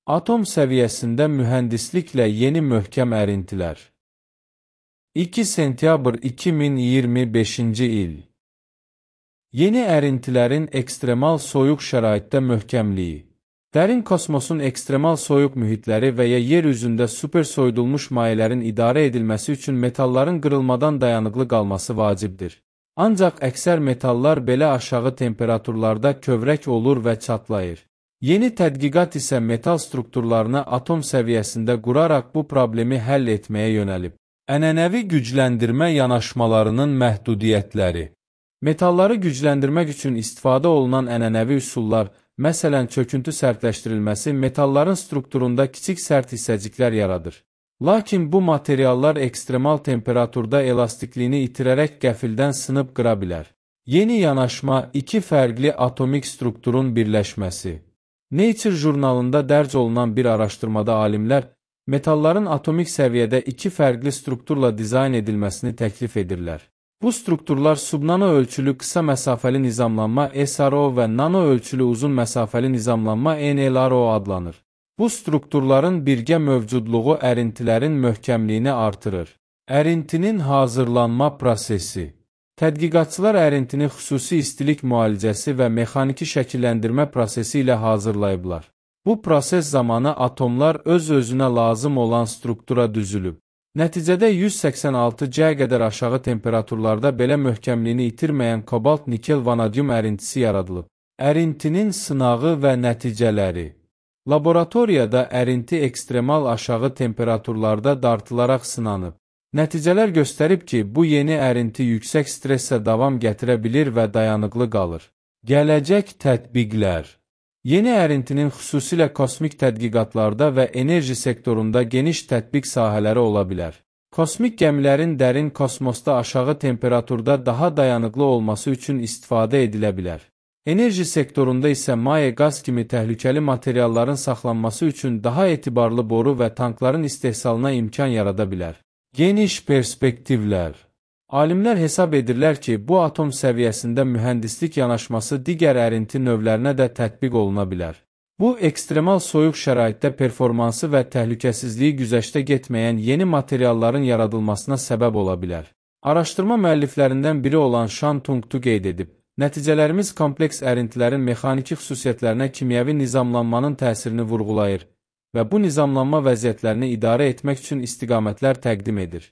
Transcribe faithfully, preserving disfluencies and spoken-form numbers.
Atom səviyyəsində mühəndisliklə yeni möhkəm ərintilər. iki sentyabr iki min iyirmi beşinci il. Yeni ərintilərin ekstremal soyuq şəraitdə möhkəmliyi. Dərin kosmosun ekstremal soyuq mühitləri və ya yer üzündə super soyudulmuş mayələrin idarə edilməsi üçün metalların qırılmadan dayanıqlı qalması vacibdir. Ancaq əksər metallar belə aşağı temperaturlarda kövrək olur və çatlayır. Yeni tədqiqat isə metal strukturlarını atom səviyyəsində quraraq bu problemi həll etməyə yönəlib. Ənənəvi gücləndirmə yanaşmalarının məhdudiyyətləri. Metalları gücləndirmək üçün istifadə olunan ənənəvi üsullar, məsələn çöküntü sərtləşdirilməsi metalların strukturunda kiçik sərt hissəciklər yaradır. Lakin bu materiallar ekstremal temperaturda elastikliyini itirərək qəfildən sınıb qıra bilər. Yeni yanaşma iki fərqli atomik strukturun birləşməsi. Nature jurnalında dərc olunan bir araşdırmada alimlər, metalların atomik səviyyədə iki fərqli strukturla dizayn edilməsini təklif edirlər. Bu strukturlar subnano ölçülü qısa məsafəli nizamlanma S R O və nano ölçülü uzun məsafəli nizamlanma N L R O adlanır. Bu strukturların birgə mövcudluğu ərintilərin möhkəmliyini artırır. Ərintinin hazırlanma prosesi. Tədqiqatçılar ərintini xüsusi istilik müalicəsi və mexaniki şəkilləndirmə prosesi ilə hazırlayıblar. Bu proses zamanı atomlar öz-özünə lazım olan struktura düzülüb. Nəticədə yüz səksən altı C qədər aşağı temperaturlarda belə möhkəmliyini itirməyən kobalt nikel vanadyum ərintisi yaradılıb. Ərintinin sınağı və nəticələri. Laboratoriyada ərinti ekstremal aşağı temperaturlarda dartılaraq sınanıb. Nəticələr göstərib ki, bu yeni ərinti yüksək stressə davam gətirə bilir və dayanıqlı qalır. Gələcək tətbiqlər. Yeni ərintinin xüsusilə kosmik tədqiqatlarda və enerji sektorunda geniş tətbiq sahələri ola bilər. Kosmik gəmilərin dərin kosmosda aşağı temperaturda daha dayanıqlı olması üçün istifadə edilə bilər. Enerji sektorunda isə maye qaz kimi təhlükəli materialların saxlanması üçün daha etibarlı boru və tankların istehsalına imkan yarada bilər. Geniş perspektivlər. Alimlər hesab edirlər ki, bu atom səviyyəsində mühəndislik yanaşması digər ərinti növlərinə də tətbiq oluna bilər. Bu, ekstremal soyuq şəraitdə performansı və təhlükəsizliyi güzəştə getməyən yeni materialların yaradılmasına səbəb ola bilər. Araşdırma müəlliflərindən biri olan Shan Tungtu qeyd edib, nəticələrimiz kompleks ərintilərin mexaniki xüsusiyyətlərinə kimyəvi nizamlanmanın təsirini vurğulayır və bu nizamlanma vəziyyətlərini idarə etmək üçün istiqamətlər təqdim edir.